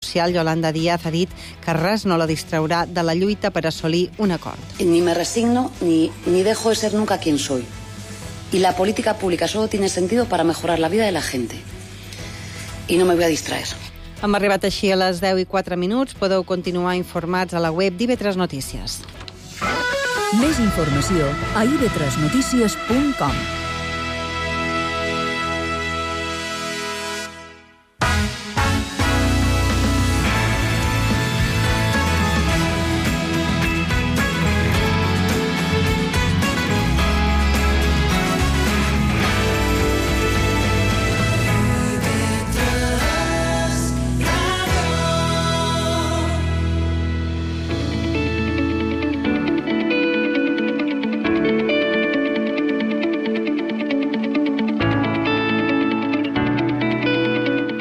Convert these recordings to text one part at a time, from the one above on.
social, Yolanda Díaz, ha dit que res no la distraurà de la lluita per assolir un acord. Ni me resigno ni dejo de ser nunca quien soy. Y la política pública solo tiene sentido para mejorar la vida de la gente. Y no me voy a distraer. Hem arribat així a les 10:04. Podeu continuar informats a la web d'IV3 Notícies. Més informació a ib3notícies.com.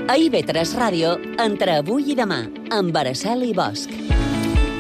A IB3 Ràdio, entre avui i demà, amb Araceli Bosch.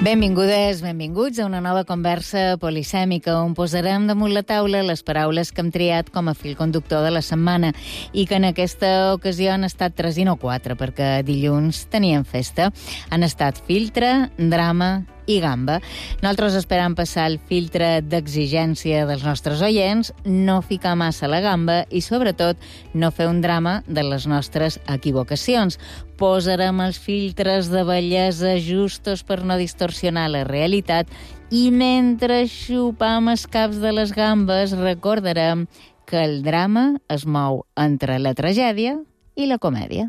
Benvingudes, benvinguts a una nova conversa polisèmica on posarem damunt la taula les paraules que hem triat com a fil conductor de la setmana i que en aquesta ocasió han estat 3 i no 4, perquè dilluns tenien festa. Han estat filtre, drama i gamba. Nosaltres esperam passar el filtre d'exigència dels nostres oients, no ficar massa la gamba i, sobretot, no fer un drama de les nostres equivocacions. Posarem els filtres de bellesa justos per no distorsionar la realitat i mentre xupam els caps de les gambes recordarem que el drama es mou entre la tragèdia i la comèdia.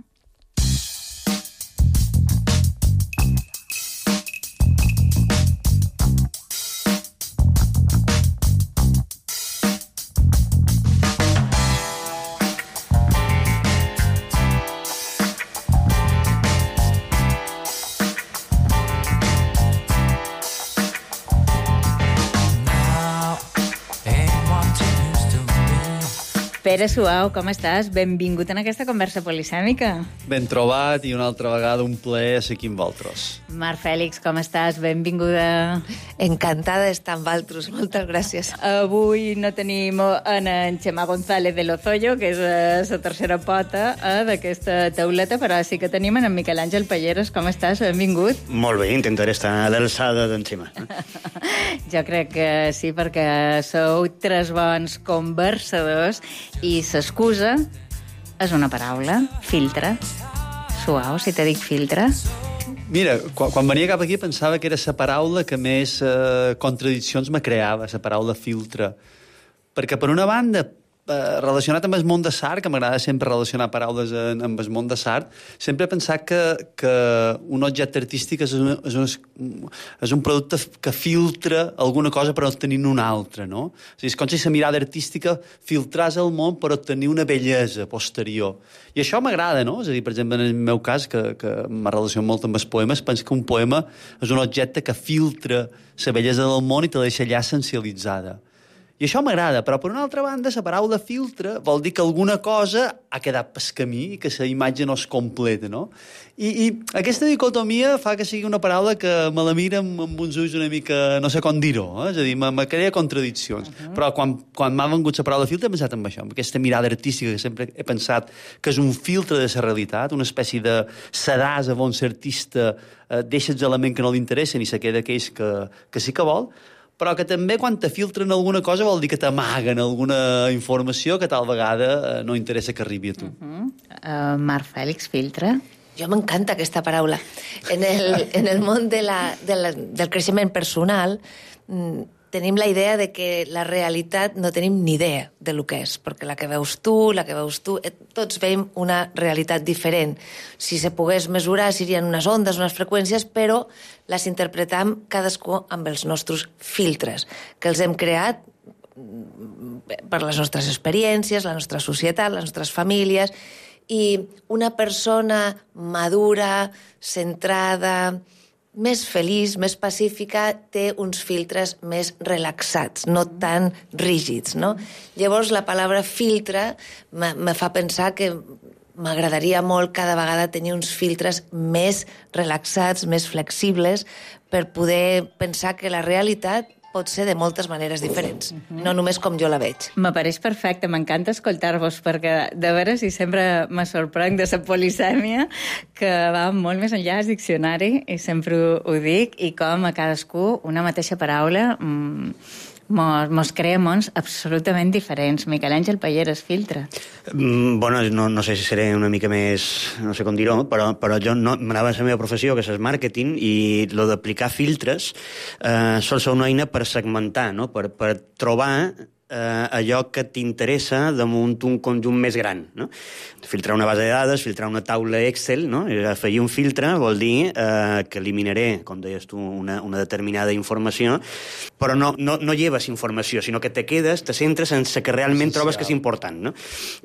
Pere Suau, com estàs? Benvingut en aquesta conversa polisèmica. Ben trobat i una altra vegada un plaer ser aquí amb vosaltres. Mar Fèlix, com estàs? Benvinguda. Encantada d'estar amb vosaltres, moltes gràcies. Avui no tenim en Xemà González de Lozoyo, que és la tercera pota d'aquesta tauleta, però sí que tenim en Miquel Àngel Palleros. Com estàs? Benvingut. Molt bé, intentaré estar a l'alçada d'en Xemà. Jo crec que sí, perquè sou 3 bons conversadors i s'excusa és una paraula, filtre. Suau, si te dic filtre. Mira, quan venia cap aquí pensava que era la paraula que més contradiccions me creava, la paraula filtre. Perquè, per una banda, relacionat amb el món de l'art, que m'agrada sempre relacionar paraules amb el món de l'art, sempre he pensat que un objecte artístic és un producte que filtra alguna cosa per obtenir una altra, no? És a dir, és com si la mirada artística filtràs el món per obtenir una bellesa posterior. I això m'agrada, no? És a dir, per exemple, en el meu cas, que me relaciono molt amb els poemes, penso que un poema és un objecte que filtra la bellesa del món i te deixa allà essencialitzada. I això m'agrada, però per una altra banda la paraula filtre vol dir que alguna cosa ha quedat pel camí i que la imatge no es completa, no? I aquesta dicotomia fa que sigui una paraula que me la mira amb uns ulls una mica, no sé com dir-ho, és a dir, me crea contradiccions. Però quan m'ha vengut la paraula filtre he pensat en això, amb aquesta mirada artística que sempre he pensat que és un filtre de la realitat, una espècie de sedàs on l'artista deixa els elements que no li interessen i se queda aquells que sí que vol, però que també quan te filtren alguna cosa vol dir que t'amaguen alguna informació que tal vegada no interessa que arribi a tu. Mar Fèlix, filtre. Jo m'encanta aquesta paraula. En el món del creixement personal tenim la idea de que la realitat no tenim ni idea de lo que és, perquè la que veus tu, tots veiem una realitat diferent. Si se pogués mesurar, serien unes ondes, unes freqüències, però les interpretam cadascú amb els nostres filtres, que els hem creat per les nostres experiències, la nostra societat, les nostres famílies, i una persona madura, centrada, més feliç, més pacífica, té uns filtres més relaxats, no tan rígids, no? Llavors, la paraula filtre me fa pensar que m'agradaria molt cada vegada tenir uns filtres més relaxats, més flexibles, per poder pensar que la realitat pot ser de moltes maneres diferents, no només com jo la veig. M'apareix perfecte, m'encanta escoltar-vos, perquè de veres i sempre me sorprenc de la polisèmia, que va molt més enllà del diccionari, i sempre ho dic, i com a cadascú una mateixa paraula mos crea mons absolutament diferents. Miquel Àngel Payeras, filtre. Bueno, no sé si seré una mica més, no sé com dir-ho, però jo m'anava a la meva professió, que és el màrqueting, i lo d'aplicar filtres sol ser una eina per segmentar, no? per trobar allò que t'interessa damunt un conjunt més gran, no? Filtrar una base de dades, filtrar una taula Excel, no? Afegir un filtre vol dir que eliminaré, com deies tu, una determinada informació, però no lleves informació, sinó que te quedes, te centres en el que realment trobes que és important, no?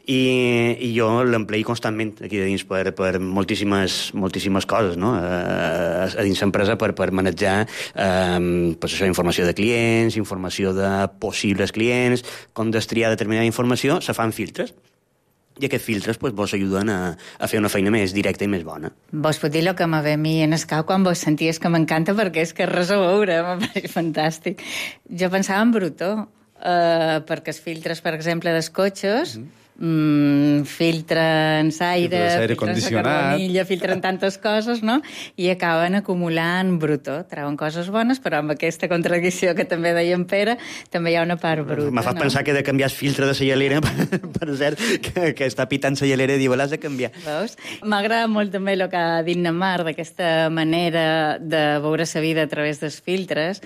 I jo l'emplei constantment aquí de dins per moltíssimes coses, no? A dins l'empresa per manejar pues això, informació de clients, informació de possibles clients, com destriar determinada informació, se fan filtres. I aquests filtres pues, vos ajuden a fer una feina més directa i més bona. Vos pot dir el que me ve a mi en el cap quan vos senties, que m'encanta perquè és que res a veure, m'apareix fantàstic. Jo pensava en Brutó, perquè els filtres, per exemple, dels cotxes, filtren l'aire, filtren la carbonilla, filtren tantes coses, no? I acaben acumulant Brutó. Treuen coses bones, però amb aquesta contradicció que també deia en Pere, també hi ha una part bruta. Me fa pensar que he de canviar el filtre de la llalera, per cert, que està pitant la llalera i diu, l'has de canviar. Veus? M'agrada molt també el que ha dit Namar, d'aquesta manera de veure la vida a través dels filtres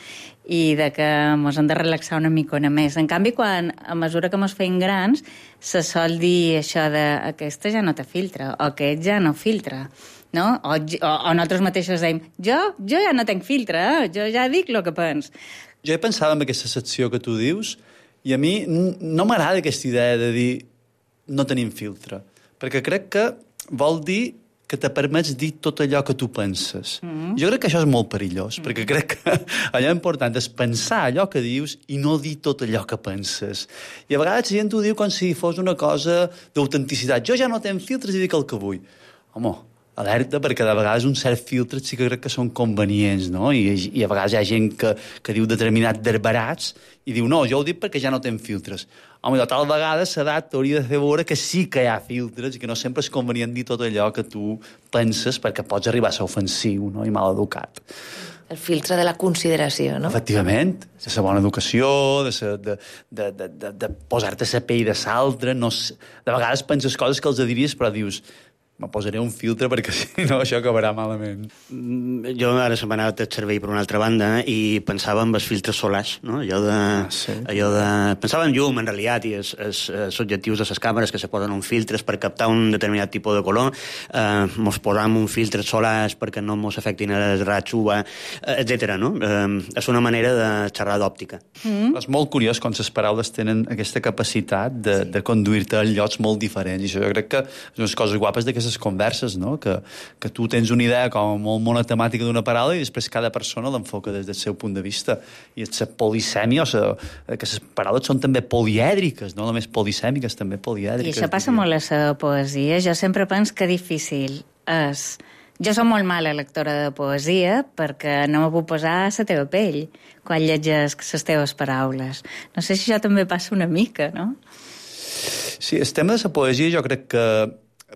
i de que ens hem de relaxar una micona més. En canvi, a mesura que ens feim grans, se sol dir això de aquesta ja no té filtre, o aquest ja no filtra, no? O nosaltres mateixos dèiem, jo ja no tenc filtre, jo ja dic el que pens. Jo he pensat en aquesta secció que tu dius, i a mi no m'agrada aquesta idea de dir no tenim filtre, perquè crec que vol dir que te permets dir tot allò que tu penses. Jo crec que això és molt perillós, perquè crec que allò important és pensar allò que dius i no dir tot allò que penses. I a vegades la gent ho diu com si fos una cosa d'autenticitat. Jo ja no tenc filtres i dic el que vull. Home, alerta, perquè de vegades un cert filtre sí que crec que són convenients, no? I a vegades hi ha gent que diu determinats derbarats i diu, no, jo ho dic perquè ja no tenc filtres. Home, tal vegada l'edat t'hauria de fer veure que sí que hi ha filtres i que no sempre és convenient dir tot allò que tu penses perquè pots arribar a ser ofensiu, no? I mal educat. El filtre de la consideració, no? Efectivament, de la bona educació, de posar-te a la pell de l'altre, de vegades penses coses que els diries però dius, me posaré un filtre perquè si no això acabarà malament. Jo ara se m'ha anat el cervell per una altra banda i pensava en els filtres solars, no? Pensava en llum, en realitat, i els objectius de les càmeres que se posen uns filtres per captar un determinat tipus de color, mos posam uns filtres solars perquè no mos afectin els raigs UVA, etc. no? És una manera de xerrar d'òptica. És molt curiós com les paraules tenen aquesta capacitat de conduir-te a llocs molt diferents, i això jo crec que és unes coses guapes d'aquestes converses, no? Que tu tens una idea com molt monotemàtica d'una paraula i després cada persona l'enfoca des del seu punt de vista. I la polisèmia, que les paraules són també polièdriques, no només polisèmiques, també polièdriques. I això passa molt a la poesia. Jo sempre penso que difícil és... Jo soc molt mala lectora de poesia perquè no me puc posar a la teva pell quan llegeix les teves paraules. No sé si això també passa una mica, no? Sí, el tema de la poesia jo crec que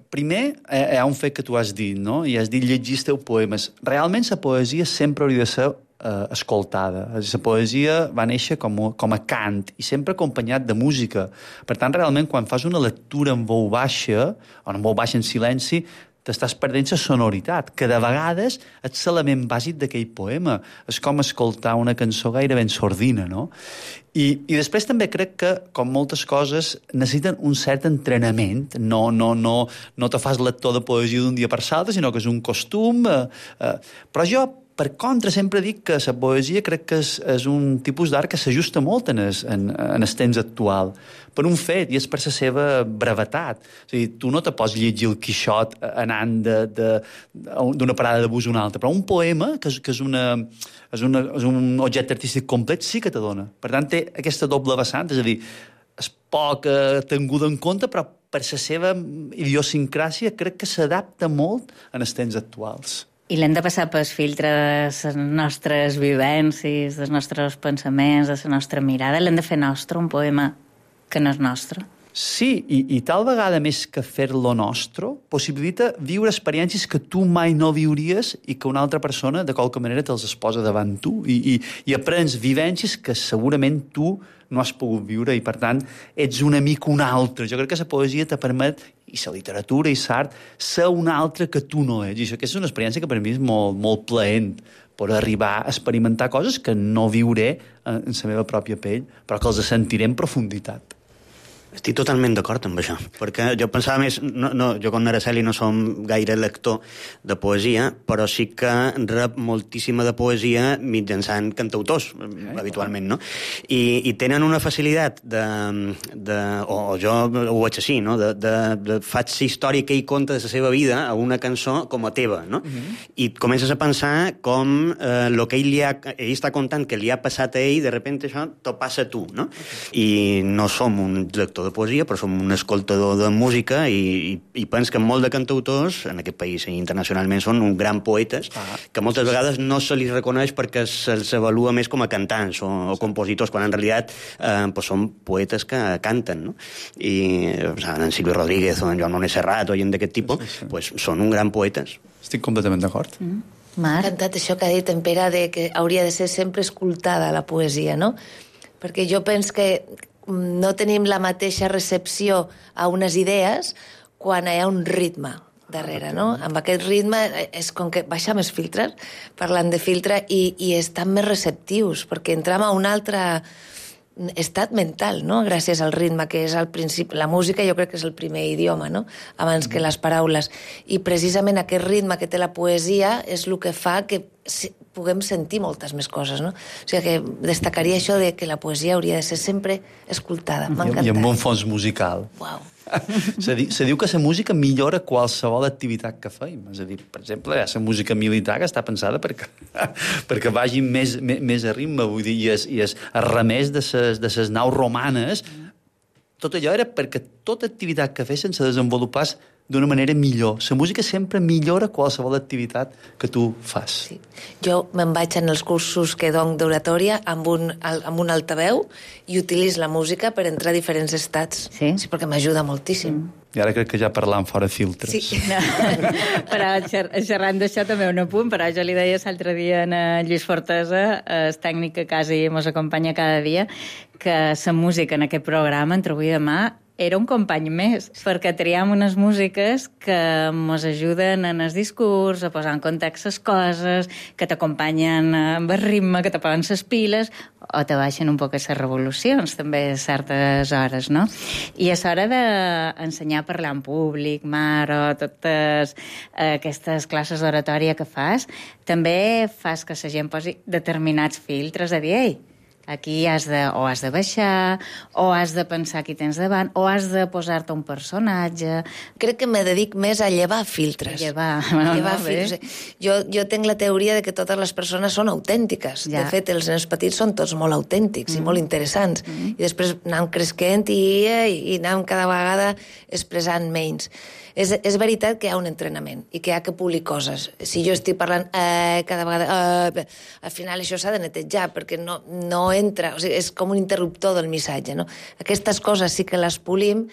primer, hi ha un fet que tu has dit, no? I has dit llegir els teus poemes. Realment la poesia sempre hauria de ser escoltada. La poesia va néixer com a cant i sempre acompanyat de música. Per tant, realment, quan fas una lectura en veu baixa, o en veu baixa en silenci, t'estàs perdent la sonoritat, que de vegades és l'element bàsic d'aquell poema. És com escoltar una cançó gairebé en sordina, no? I després també crec que, com moltes coses, necessiten un cert entrenament. No te fas lector de poesia d'un dia per l'altre, sinó que és un costum. Però jo, per contra, sempre dic que la poesia crec que és un tipus d'art que s'ajusta molt en el temps actual, per un fet, i és per la seva brevetat. És a dir, tu no te pots llegir el Quixot anant d'una parada de bus a una altra, però un poema, que és un objecte artístic complet, sí que te dona. Per tant, té aquesta doble vessant, és a dir, és poc tinguda en compte, però per la seva idiosincràsia crec que s'adapta molt en els temps actuals. I l'hem de passar pel filtre de les nostres vivències, dels nostres pensaments, de la nostra mirada. L'hem de fer nostre, un poema que no és nostre. Sí, i tal vegada més que fer-lo nostre, possibilita viure experiències que tu mai no viuries i que una altra persona, de qualque manera, te'ls es posa davant tu. I aprens vivències que segurament tu no has pogut viure i, per tant, ets un amic un altre. Jo crec que la poesia te permet, i la literatura i l'art, ser un altre que tu no ets. I això és una experiència que per mi és molt, molt plaent, per arribar a experimentar coses que no viuré en la meva pròpia pell, però que els sentiré en profunditat. Estic totalment d'acord amb això, perquè jo pensava més... jo com Araceli no som gaire lector de poesia, però sí que rep moltíssima de poesia mitjançant cantautors, habitualment, no? I tenen una facilitat o jo ho veig així, no? Faig la història que ell conta de la seva vida a una cançó com a teva, no? I comences a pensar com el que ell està contant que li ha passat a ell, de repente això t'ho passa a tu, no? I no som un lector de poesia, però som un escoltador de música i pens que molt de cantautors en aquest país i internacionalment són un gran poetes que moltes vegades no se li reconeix perquè se'ls avalua més com a cantants o compositors, quan en realitat són poetes que canten, no? I en Silvio Rodríguez o en Joan Manuel Serrat o gent d'aquest tipus són un gran poetes. Estic completament d'acord. M'ha encantat això que ha dit en Pere de que hauria de ser sempre escoltada la poesia, no? Perquè jo penso que no tenim la mateixa recepció a unes idees quan hi ha un ritme darrere, no? Amb aquest ritme és com que baixem els filtres, parlant de filtre, i estan més receptius, perquè entrem a un altre estat mental, no? Gràcies al ritme, que és al principi... La música jo crec que és el primer idioma, no? Abans que les paraules. I precisament aquest ritme que té la poesia és el que fa que puguem sentir moltes més coses, no? O sigui que destacaria això de que la poesia hauria de ser sempre escoltada. M'ha encantat. I amb un fons musical. Uau. Se diu que la música millora qualsevol activitat que feim. És a dir, per exemple, hi ha la música militar que està pensada perquè vagi més a ritme, vull dir, i es remés de ses naus romanes. Tot allò era perquè tota activitat que fessin se desenvolupés d'una manera millor. La música sempre millora qualsevol activitat que tu fas. Sí. Jo me'n vaig en els cursos que dono d'oratòria amb un altaveu i utilitzo la música per entrar a diferents estats. Sí, perquè m'ajuda moltíssim. I ara crec que ja parlant fora filtres. Sí. Però xerrant d'això també un apunt, però jo li deia l'altre dia a Lluís Fortesa, el tècnic que quasi ens acompanya cada dia, que la música en aquest programa, entre avui i demà, era un company més, perquè triam unes músiques que ens ajuden en el discurs, a posar en context les coses, que t'acompanyen amb el ritme, que te posen les piles, o te baixen un poc les revolucions, també a certes hores, no? I és hora d'ensenyar a parlar en públic, Mar, o totes aquestes classes d'oratòria que fas, també fas que la gent posi determinats filtres a dir, ei, aquí has de baixar, o has de pensar qui tens davant, o has de posar-te un personatge. Crec que me dedic més a llevar filtres. Llevar filtres. Jo tinc la teoria de que totes les persones són autèntiques. Ja. De fet, els nens petits són tots molt autèntics i molt interessants. I després anem cresquent i anem cada vegada expressant menys. És veritat que hi ha un entrenament i que hi ha que polir coses. Si jo estic parlant cada vegada... al final això s'ha de netejar perquè no entra... O sigui, és com un interruptor del missatge, no? Aquestes coses sí que les polim,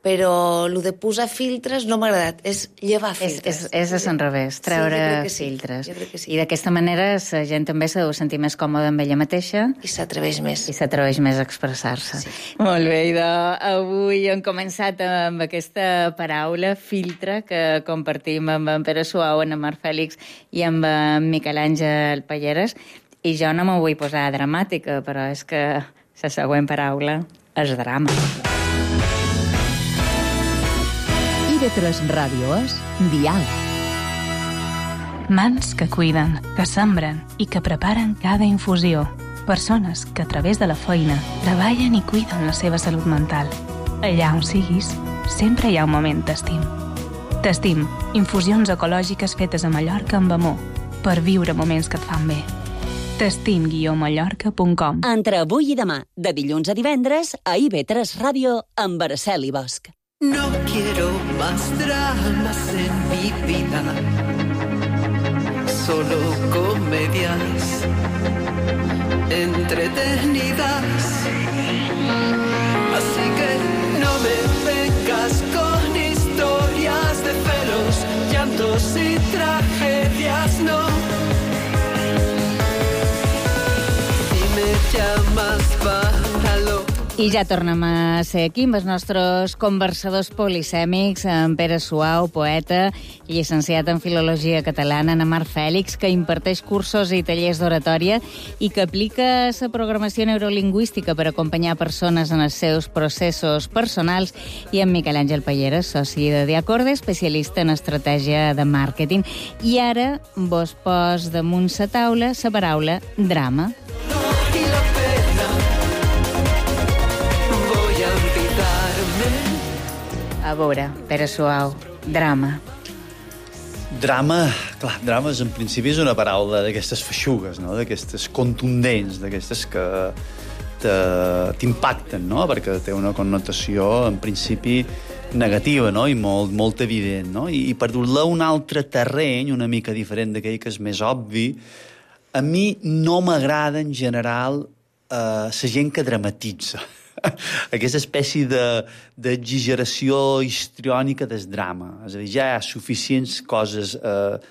però el de posar filtres no m'ha agradat, és llevar filtres. És a l'enrevés, treure filtres. Jo crec que sí. I d'aquesta manera la gent també s'ha de sentir més còmoda amb ella mateixa. I s'atreveix més. I s'atreveix més a expressar-se. Sí. Molt bé, idò. Avui hem començat amb aquesta paraula, filtre, que compartim amb en Pere Suau, en Mar Fèlix i amb en Miquel Àngel Palleres. I jo no m'ho vull posar dramàtica, però és que la següent paraula és drama. IB3 Ràdio és Diàleg. Mans que cuiden, que sembren i que preparen cada infusió. Persones que a través de la feina treballen i cuiden la seva salut mental. Allà on siguis, sempre hi ha un moment T'estim. T'estim, infusions ecològiques fetes a Mallorca amb amor, per viure moments que et fan bé. T'estim-mallorca.com. Entre avui i demà, de dilluns a divendres, a IB3 Ràdio, amb Araceli Bosch. No quiero más dramas en mi vida. solo comedias entretenidas. Así que no me vengas con historias de celos, llantos y tragedias, no. Si me llamas para lo... I ja tornem a ser aquí amb els nostres conversadors polisèmics, en Pere Suau, poeta, llicenciat en Filologia Catalana, en Mar Fèlix, que imparteix cursos i tallers d'oratòria i que aplica la programació neurolingüística per acompanyar persones en els seus processos personals, i en Miquel Àngel Palleres, soci de Diacorde, especialista en estratègia de màrqueting. I ara vos pos damunt la taula la paraula drama. A veure, Pere Suau, drama. Drama, clar, drama en principi és una paraula d'aquestes feixugues, no? D'aquestes contundents, d'aquestes que t'impacten, no? Perquè té una connotació, en principi, negativa, no? I molt evident, no? I per dur-la a un altre terreny, una mica diferent d'aquell que és més obvi, a mi no m'agrada, en general, la gent que dramatitza. Aquesta espècie d'exageració histriònica del drama. És a dir, ja hi ha suficients coses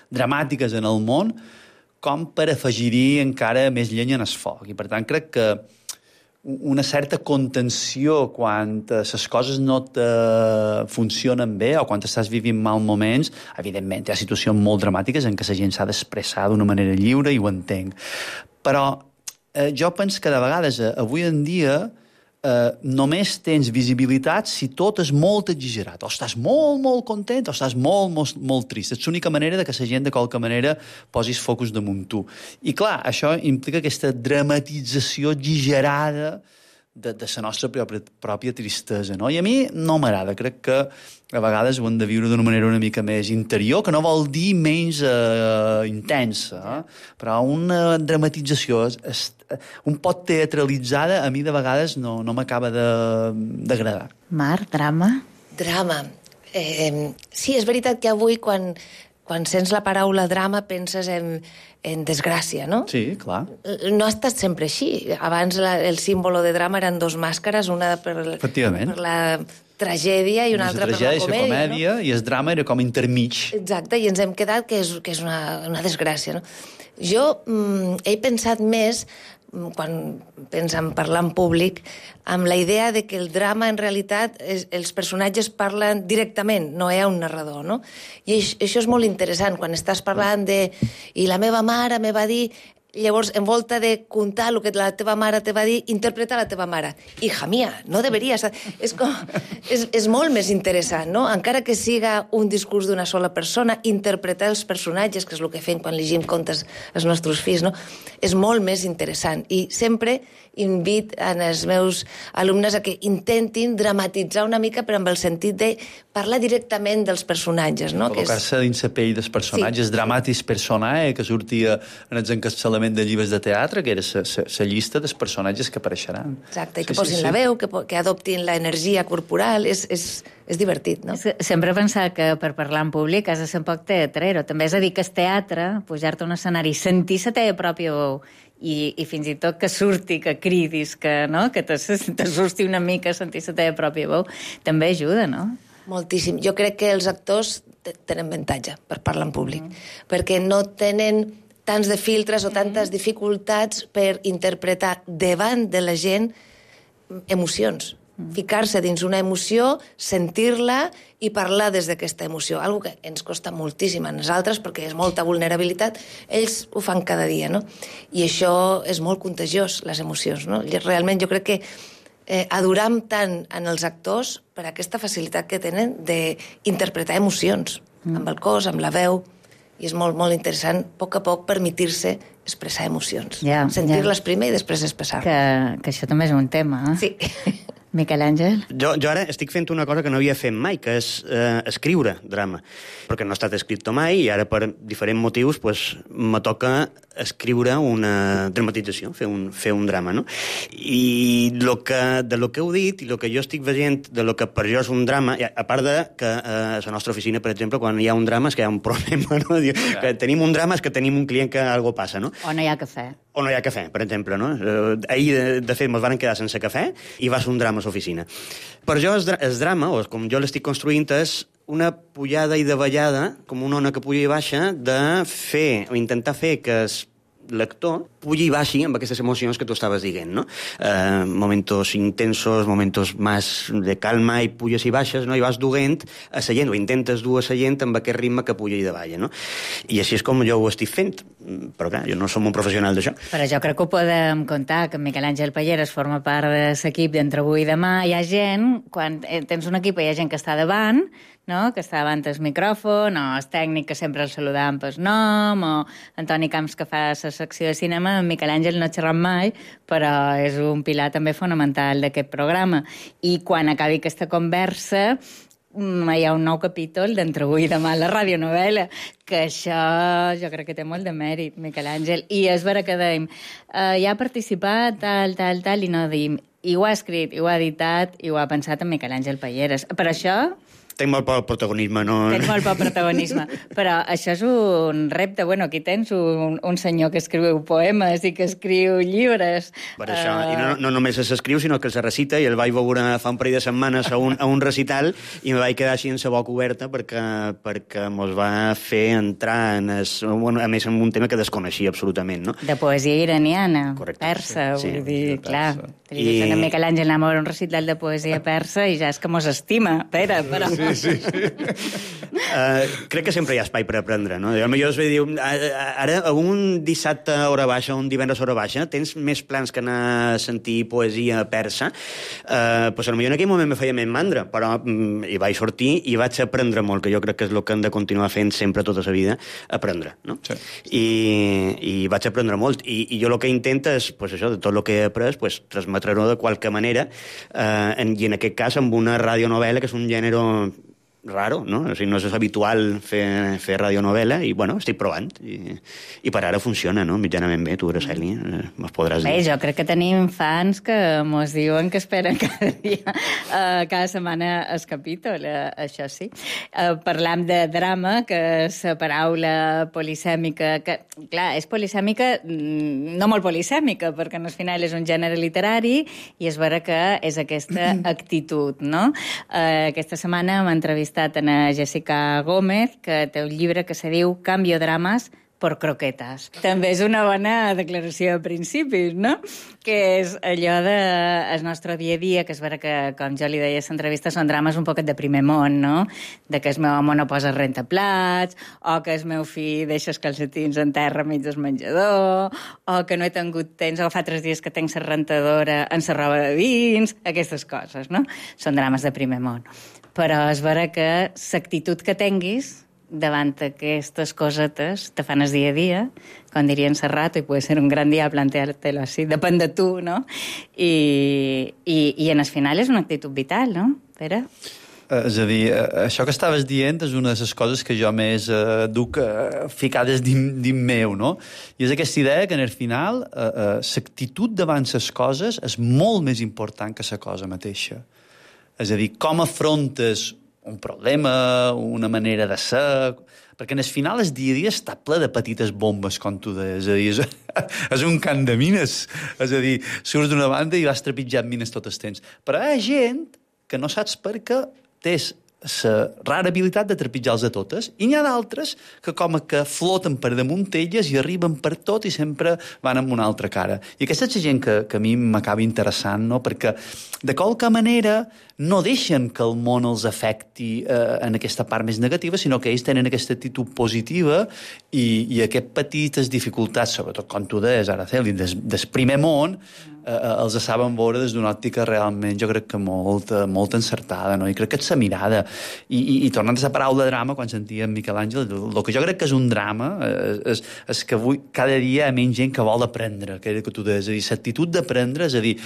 dramàtiques en el món com per afegir-hi encara més llenya en el foc. I, per tant, crec que una certa contenció quan les coses no te funcionen bé o quan estàs vivint mal moments, evidentment hi ha situacions molt dramàtiques en què la gent s'ha d'expressar d'una manera lliure i ho entenc. Però jo penso que de vegades, avui en dia, només tens visibilitat si tot és molt exagerat. O estàs molt content o estàs molt trist. És l'única manera que la gent, de qualque manera, posis focus damunt tu. I clar, això implica aquesta dramatització exagerada de la nostra pròpia tristesa, no? I a mi no m'agrada. Crec que a vegades ho hem de viure d'una manera una mica més interior, que no vol dir menys intensa, però una dramatització un pot teatralitzada, a mi de vegades no m'acaba d'agradar. Mar, drama? Drama. Sí, és veritat que avui, quan sents la paraula drama, penses en desgràcia, no? Sí, clar. No ha estat sempre així. Abans el símbolo de drama eren dos màscares, una per la tragèdia i una altra per la comèdia, no? I el drama era com intermig. Exacte, i ens hem quedat que és una desgràcia, no? Jo he pensat més, quan penso en parlar en públic, amb la idea de que el drama, en realitat, els personatges parlen directament, no hi ha un narrador, no? I això és molt interessant, quan estàs parlant de... I la meva mare me va dir... Llavors, en volta de contar el que la teva mare te va dir, interpreta la teva mare. Hija mía, no deberies... És molt més interessant, no? Encara que siga un discurs d'una sola persona, interpretar els personatges, que és el que fem quan llegim contes als nostres fills, no? És molt més interessant. I sempre invito als meus alumnes a que intentin dramatitzar una mica, però amb el sentit de parlar directament dels personatges, no? Col·locar-se dins la pell dels personatges, sí. Dramatis personae, que sortia en els encapçalament de llibres de teatre, que era la llista dels personatges que apareixeran. Exacte, i que posin la veu, que adoptin l'energia corporal, és divertit, no? Sempre he pensat que per parlar en públic has de ser un poc teatrero. També és a dir que el teatre, pujar-te a un escenari, sentir la teva pròpia veu, i fins i tot que surti, que cridis, que t'assusti una mica sentir la teva pròpia veu, també ajuda, no? Moltíssim. Jo crec que els actors tenen avantatge per parlar en públic, perquè no tenen tants de filtres o tantes dificultats per interpretar davant de la gent emocions. Ficar-se dins una emoció, sentir-la i parlar des d'aquesta emoció. Algo que ens costa moltíssim a nosaltres perquè és molta vulnerabilitat. Ells ho fan cada dia, no? I això és molt contagiós, les emocions, no? Realment jo crec que adoram tant en els actors per aquesta facilitat que tenen d'interpretar emocions, amb el cos, amb la veu, i és molt, molt interessant, a poc permetir-se expressar emocions. Sentir-les primer i després expressar. Que això també és un tema, eh? Sí. Miquel Àngel? Jo ara estic fent una cosa que no havia fet mai, que és escriure drama, perquè no ha estat escrit mai i ara per diferents motius me toca escriure una dramatització, fer un drama, no? I de lo que heu dit i el que jo estic veient de lo que per jo és un drama, a part de que a la nostra oficina, per exemple, quan hi ha un drama és que hi ha un problema, no? Que tenim un drama és que tenim un client que algo passa, no? O no hi ha cafè. O no hi ha cafè, per exemple, no? Ahir, de fet, ens van quedar sense cafè i va ser un drama a l'oficina. Per jo, el drama, o com jo l'estic construint, és una pujada i davallada, com una ona que puja i baixa, de fer, o intentar fer que el lector pugi i baixi amb aquestes emocions que tu estaves dient, no? Momentos intensos, momentos más de calma i puges i baixes, no? I vas duent a la gent, o intentes dur a la gent amb aquest ritme que puja i davalla, no? I així és com jo ho estic fent. Però clar, jo no som un professional d'això. Però jo crec que ho podem contar, que Miquel Àngel Palleres forma part de l'equip d'Entre avui i demà. Hi ha gent, quan tens un equip, hi ha gent que està davant, no? Que està davant el micròfon, o el tècnic que sempre el saludam pel nom, o Antoni Camps que fa la secció de cinema. En Miquel Àngel no ha xerrat mai, però és un pilar també fonamental d'aquest programa. I quan acabi aquesta conversa hi ha un nou capítol d'Entre avui i demà a la radionovel·la, que això jo crec que té molt de mèrit, Miquel Àngel. I és vera que dèiem, ja ha participat, tal, i no dèiem, i ho ha escrit, i ho ha editat, i ho ha pensat en Miquel Àngel Palleres. Per això... Tenc molt poc protagonisme, no? Tens molt poc protagonisme, però això és un repte. Bueno, aquí tens un senyor que escriu poemes i que escriu llibres. Per això, i no només s'escriu, sinó que se recita, i el vaig veure fa un parell de setmanes a un recital i me vaig quedar així en sa boca oberta perquè mos va fer entrar en a més en un tema que desconeixia absolutament, no? De poesia iraniana, correcte, persa, sí, vull dir, clar. I en Miquel Àngel anava a un recital de poesia persa i ja és que mos estima, Pere, però... Sí. Crec que sempre hi ha espai per aprendre, no? Potser es diu, ara un dissabte a hora baixa, un divendres a hora baixa, tens més plans que anar a sentir poesia persa, potser en aquell moment me feia més mandra, però hi vaig sortir i vaig aprendre molt, que jo crec que és el que hem de continuar fent sempre tota la vida, aprendre, no? Sí. I vaig aprendre molt, i jo el que intento és, pues això, de tot el que he après, pues, transmetre-ho de qualque manera, i en aquest cas amb una radionovel·la, que és un gènere raro, no? O sigui, no és habitual fer radionovel·la i, bueno, estic provant i per ara funciona, no? Mitjanament bé, tu, Araceli, mos podràs dir. Bé, jo crec que tenim fans que mos diuen que esperen cada dia, cada setmana el capítol, això sí. Parlam de drama, que és la paraula polisèmica, que, clar, és polisèmica, no molt polisèmica, perquè al final és un gènere literari i és vera que és aquesta actitud, no? Aquesta setmana hem entrevistat a Jessica Gómez, que té un llibre que se diu Cambio dramas por croquetas. També és una bona declaració de principis, no? Que és allò del nostre dia a dia, que és vera que, com jo li deia a l'entrevista, són drames un poquet de primer món, no? De que el meu home no posa rentaplats, o que el meu fill deixa els calcetins en terra mig del menjador, o que no he tingut temps, o fa 3 dies que tenc la rentadora en la roba de dins, aquestes coses, no? Són drames de primer món. Però és vera que l'actitud que tinguis davant aquestes cosetes te fan el dia a dia, com diria en Serrat, i puede ser un gran dia plantear-te-lo així, depèn de tu, no? I en el final és una actitud vital, no, Pere? És a dir, això que estaves dient és una de les coses que jo més duc ficades dins meu, no? I és aquesta idea que, en el final, l'actitud davant les coses és molt més important que la cosa mateixa. És a dir, com afrontes un problema, una manera de ser... Perquè en el final el dia a dia està ple de petites bombes, com tu deies. És a dir, és un camp de mines. És a dir, surts d'una banda i vas trepitjant mines tot el temps. Però hi ha gent que no saps per què tens la rara habilitat de trepitjar-los a totes, i n'hi ha d'altres que com que floten per damunt elles i arriben per tot i sempre van amb una altra cara. I aquesta és la gent que a mi m'acaba interessant, no? Perquè de qualque manera no deixen que el món els afecti en aquesta part més negativa, sinó que ells tenen aquesta actitud positiva i aquestes petites dificultats, sobretot com tu deies, Araceli, del primer món, els saben veure des d'una òptica realment, jo crec que molt encertada, no? I crec que és la mirada. I tornant a la paraula drama, quan sentíem Miquel Àngel, el que jo crec que és un drama és que avui cada dia hi ha menys gent que vol aprendre, que tu deies, és a dir, l'actitud d'aprendre, és a dir,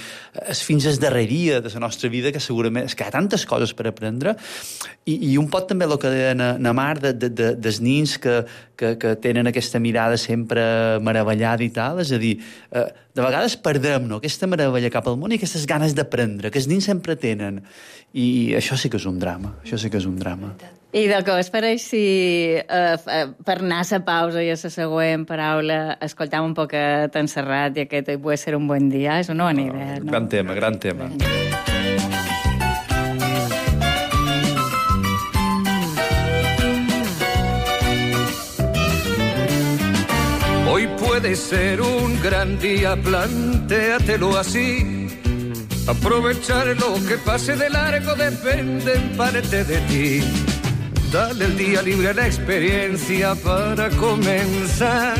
és fins al darreria de la nostra vida, que segurament és que hi ha tantes coses per aprendre, i un pot també el que deia na Mar dels nins que tenen aquesta mirada sempre meravellada i tal, és a dir, de vegades perdem, no?, aquesta meravella cap al món i aquestes ganes d'aprendre, que els nins sempre tenen. I això sí que és un drama, això sí que és un drama. I de què us pareix si per anar a la pausa i a la següent paraula escoltam un poquet en Serrat i aquest puede ser un buen dia? És una bona idea, no? Gran tema, gran tema. Hoy puede ser un gran día, plantéatelo así. Aprovechar lo que pase de largo depende en parte de ti. Dale el día libre a la experiencia para comenzar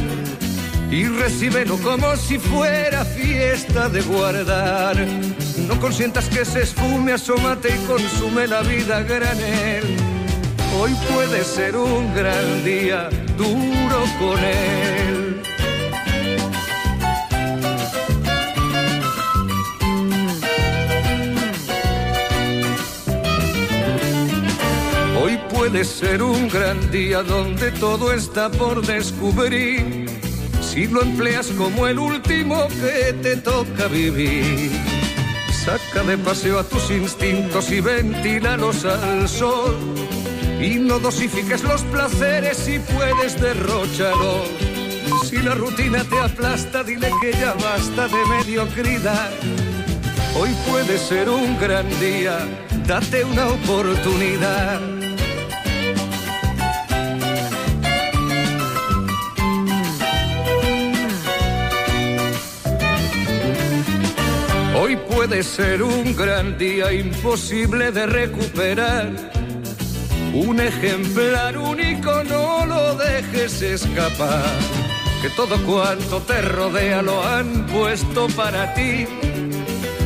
y recíbelo como si fuera fiesta de guardar. No consientas que se esfume, asómate y consume la vida a granel. Hoy puede ser un gran día, duro con él. Hoy puede ser un gran día donde todo está por descubrir, si lo empleas como el último que te toca vivir. Saca de paseo a tus instintos y ventílalos al sol, y no dosifiques los placeres si puedes derróchalos. Si la rutina te aplasta, dile que ya basta de mediocridad. Hoy puede ser un gran día, date una oportunidad. Hoy puede ser un gran día imposible de recuperar. Un ejemplar único, no lo dejes escapar. Que todo cuanto te rodea lo han puesto para ti.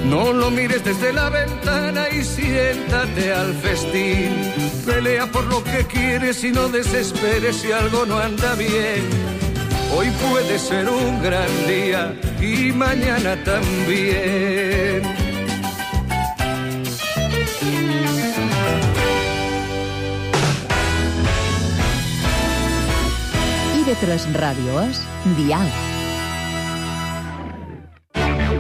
No lo mires desde la ventana y siéntate al festín. Pelea por lo que quieres y no desesperes si algo no anda bien. Hoy puede ser un gran día y mañana también. IB3 Ràdio és Diàleg.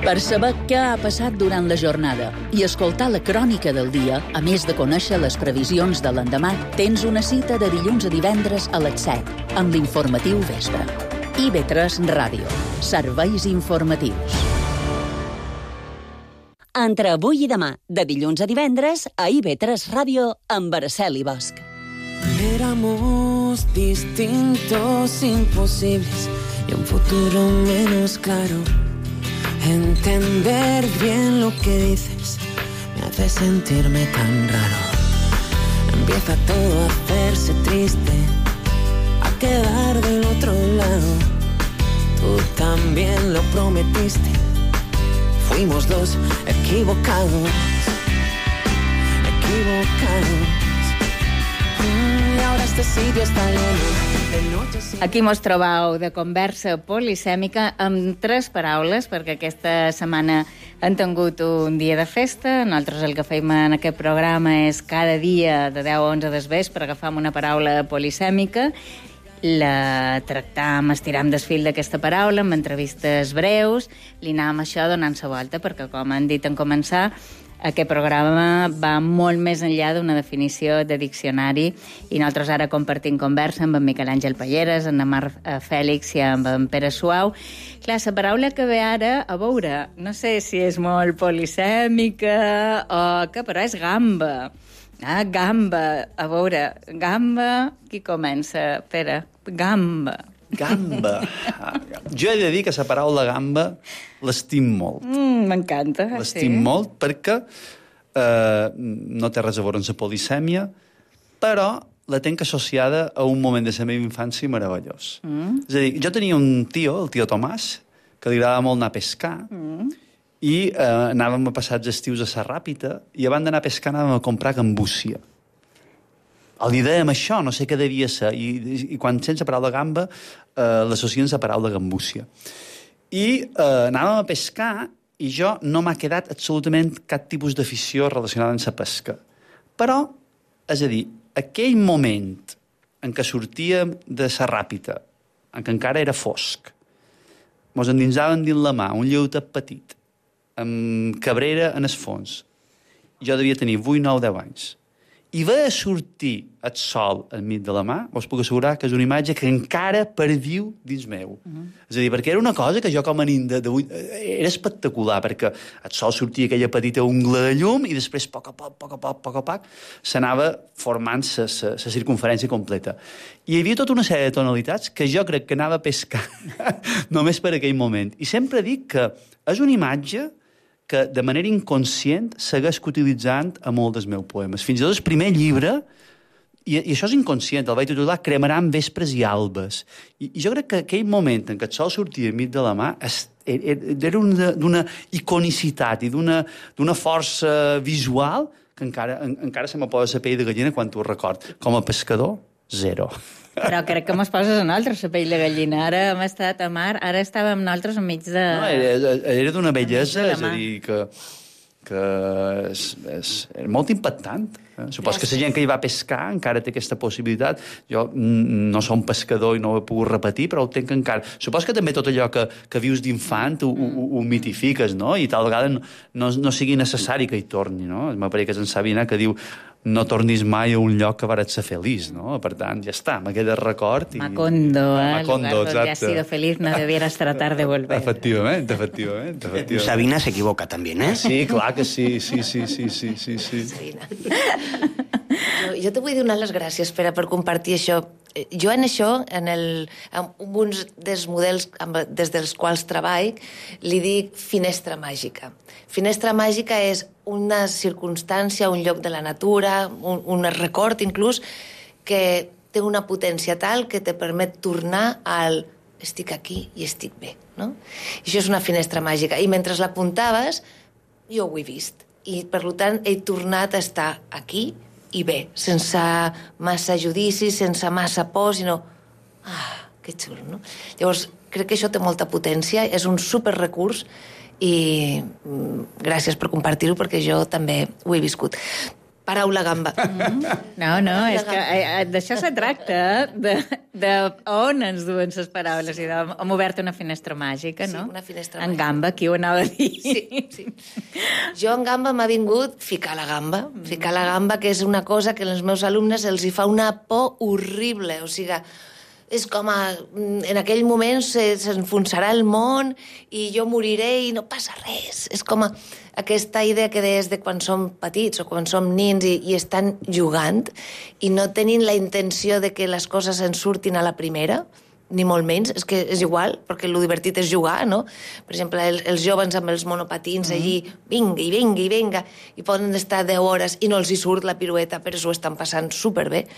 Per saber què ha passat durant la jornada i escoltar la crònica del dia, a més de conèixer les previsions de l'endemà, tens una cita de dilluns a divendres a les 7, amb l'informatiu Vespre. IB3 Ràdio. Serveis informatius. Entre avui i demà, de dilluns a divendres, a IB3 Ràdio, amb Araceli Bosch. Éramos distintos, imposibles, y un futuro menos claro. Entender bien lo que dices me hace sentirme tan raro. Empieza todo a hacerse triste, a quedar del otro lado. Tú también lo prometiste. Fuimos dos equivocados. Y ahora este sitio está lleno. Aquí mos trobau de conversa polisèmica amb 3 paraules, perquè aquesta setmana han tingut un dia de festa. Nosaltres el que fem en aquest programa és cada dia de 10 a 11 del vespre agafam una paraula polisèmica, la tractam, estiram del fil d'aquesta paraula amb entrevistes breus, li anàvem això donant la volta, perquè com han dit en començar, aquest programa va molt més enllà d'una definició de diccionari i nosaltres ara compartim conversa amb en Miquel Àngel Palleres, amb en Mar Fèlix i amb en Pere Suau. Clar, la paraula que ve ara, a veure, no sé si és molt polisèmica o què, però és gamba. Ah, gamba. A veure, gamba, qui comença? Pere, gamba. Gamba. Jo he de dir que la paraula gamba l'estim molt. M'encanta. L'estim molt perquè no té res a veure amb la polisèmia, però la tenc associada a un moment de la meva infància meravellós. És a dir, jo tenia un tio, el tio Tomàs, que li agradava molt anar a pescar, i anàvem a passar els estius a Sa Ràpita i abans d'anar a pescar anàvem a comprar gambúcia. Li dèiem això, no sé què devia ser, i quan sense paraula gamba l'associen a paraula gambúcia. I anàvem a pescar i jo no m'ha quedat absolutament cap tipus d'afició relacionada amb la pesca. Però, és a dir, aquell moment en què sortíem de Sa Ràpita, en què encara era fosc, mos endinsaven dins la mà un lleutet petit, amb cabrera en el fons. Jo devia tenir 8, 9, 10 anys. I veia sortir el sol enmig de la mà, us puc assegurar que és una imatge que encara perviu dins meu. És a dir, perquè era una cosa que jo com a nin era espectacular, perquè el sol sortia aquella petita ungla de llum i després, a poc, s'anava formant la circunferència completa. I hi havia tota una sèrie de tonalitats que jo crec que anava a pescar només per aquell moment. I sempre dic que és una imatge que de manera inconscient segueix utilitzant a molts dels meus poemes. Fins i tot el primer llibre, i això és inconscient, el vaig titular Cremaran vespres i albes. I jo crec que aquell moment en què el sol sortia enmig de la mà era d'una iconicitat i d'una força visual que encara se me posa la pell de gallina quan t'ho record. Com a pescador, 0. Però crec que mos poses a nosaltres, la pell de gallina. Ara hem estat a mar, ara estàvem nosaltres enmig de... No, era d'una bellesa, és a dir, que és molt impactant. Supos que la gent que hi va pescar encara té aquesta possibilitat. Jo no som pescador i no ho he pogut repetir, però ho tenc encara. Supos que també tot allò que vius d'infant ho mitifiques, no? I tal vegada no sigui necessari que hi torni, no? M'apareix que és en Sabina que diu no tornis mai a un lloc que vares ser feliç, no? Per tant, ja està, me queda record. Macondo, Macondo, lugar donde has sido feliz no debieras tratar de volver. Efectivament. Sabina se equivoca també, eh? Sí, clar que sí. Sabina. Jo te vull donar les gràcies, Pere, per compartir això. Jo en això, en uns dels models des dels quals treball, li dic finestra màgica. Finestra màgica és una circumstància, un lloc de la natura, un record inclús, que té una potència tal que te permet tornar al estic aquí i estic bé, no? I això és una finestra màgica. I mentre l'apuntaves, jo ho he vist. I, per tant, he tornat a estar aquí i bé, sense massa judici, sense massa por, sinó... que xulo, no? Llavors, crec que això té molta potència, és un superrecurs i gràcies per compartir-ho perquè jo també ho he viscut. Paraula gamba. No, és que d'això se tracta, de on ens duen les paraules. I hem obert una finestra màgica, no? Sí, una finestra màgica. En gamba, qui ho anava a dir? Sí. Jo en gamba m'ha vingut ficar la gamba. Ficar la gamba, que és una cosa que als meus alumnes els hi fa una por horrible. O sigui, és com en aquell moment s'enfonsarà el món i jo moriré i no passa res. És com aquesta idea que deies de quan som petits o quan som nins i estan jugant i no tenint la intenció de que les coses ens surtin a la primera, ni molt menys, és que és igual, perquè el divertit és jugar, no? Per exemple, els joves amb els monopatins allí, vinga, i poden estar 10 hores i no els hi surt la pirueta, però s'ho estan passant superbé.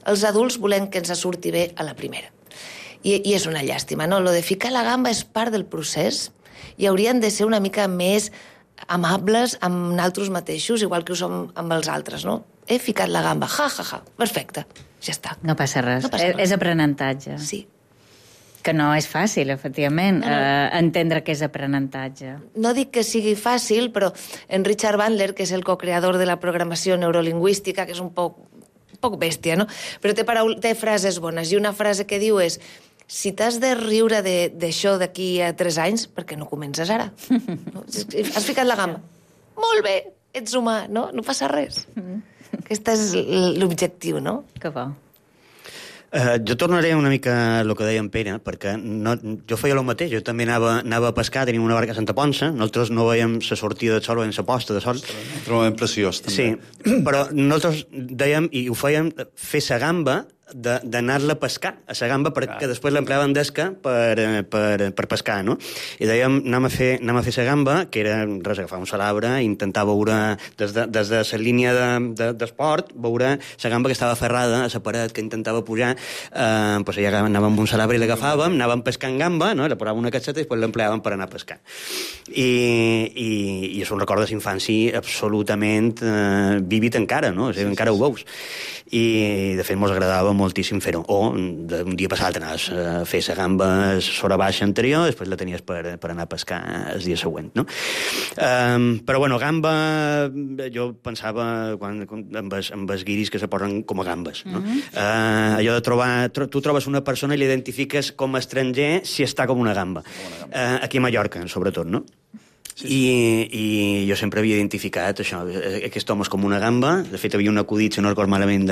Els adults volem que ens surti bé a la primera. I és una llàstima, no? Lo de ficar la gamba és part del procés i haurien de ser una mica més amables amb nosaltres mateixos, igual que ho som amb els altres, no? He ficat la gamba, perfecte, ja està. No passa res, és aprenentatge. Sí. Que no és fàcil, efectivament, entendre que és aprenentatge. No dic que sigui fàcil, però en Richard Bandler, que és el co-creador de la programació neurolingüística, que és un poc bèstia, no? Però té frases bones, i una frase que diu és: si t'has de riure d'això d'aquí a 3 anys, per què no comences ara? No? Has ficat la gamba. Molt bé, ets humà, no? No passa res. Aquest és l'objectiu, no? Que bo. Jo tornaré una mica a el que deia en Pere, perquè jo feia el mateix, jo també anava a pescar, tenim una barca a Santa Ponça, nosaltres no veiem la sortida de sol, veiem la posta de sol. Trobem preciós, també. Sí, però nosaltres dèiem, i ho fèiem, fer la gamba d'anar-la a pescar, a la gamba, perquè després l'empleaven d'esca per pescar, no? I dèiem, anem a fer la gamba, que era res, agafar un salabre, intentar veure, des de la línia d'esport, veure la gamba que estava ferrada a la paret, que intentava pujar, doncs allà anàvem amb un salabre i l'agafàvem, anàvem pescant gamba, no? La posàvem una caixeta i després l'empleàvem per anar a pescar. I és un record de l'infància absolutament vívid encara, no? O sigui, encara ho veus. I, de fet, mos agradava moltíssim fer-ho. O, d'un dia passat anaves a fer la gamba sobre baixa anterior, després la tenies per anar a pescar el dia següent, no? Però, bueno, gamba, jo pensava amb els guiris que se posen com a gambes, no? Allò de trobar... Tu trobes una persona i l'identifiques com a estranger si està com una gamba. Aquí a Mallorca, sobretot, no? I jo sempre havia identificat això, aquest home és com una gamba. De fet, havia un acudit, si no record malament,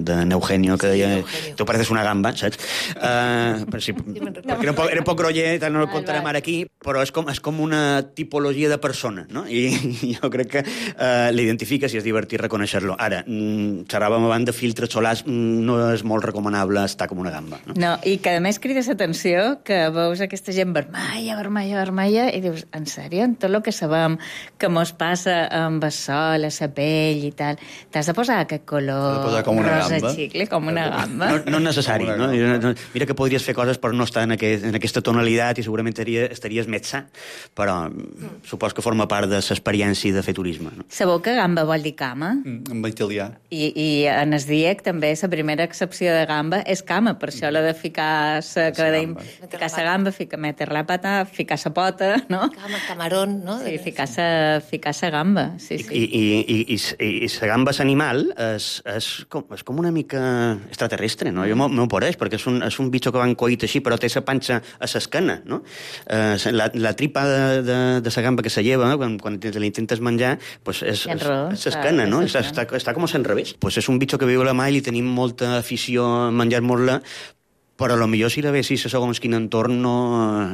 d'en Eugenio, que deia, tu pareces una gamba, saps? Perquè era poc groller, no el contarem ara aquí, però és com una tipologia de persona, no? I jo crec que l'identifiques i és divertit reconèixer-lo. Ara, xerràvem abans de filtres solars, no és molt recomanable estar com una gamba. No, i que a més crides atenció que veus aquesta gent vermella, i dius, en sèrio? Tot el que sabem que mos passa amb el sol, a la pell i tal, t'has de posar aquest color rosa xicle, com una gamba? No és necessari, no? Mira que podries fer coses per no estar en aquesta tonalitat i segurament estaries més sa, però supos que forma part de l'experiència de fer turisme. Sabeu que gamba vol dir cama? En italià. I en el diec també la primera accepció de gamba és cama, per això la de ficar la gamba, meter la pata, ficar la pota, no? Camarón, no? Sí, ficar la gamba, sí. I la gamba animal és com una mica extraterrestre, no? Jo m'ho pareix, perquè és un bitxo que van coit així, però té la panxa a l'esquena, no? La tripa de la gamba que se lleva, quan l'intentes menjar, és l'esquena, no? Està com a l'enrevés. És un bitxo que viu a la mà i li tenim molta afició a menjar-nos-la, però potser si la vessis a segons quin entorn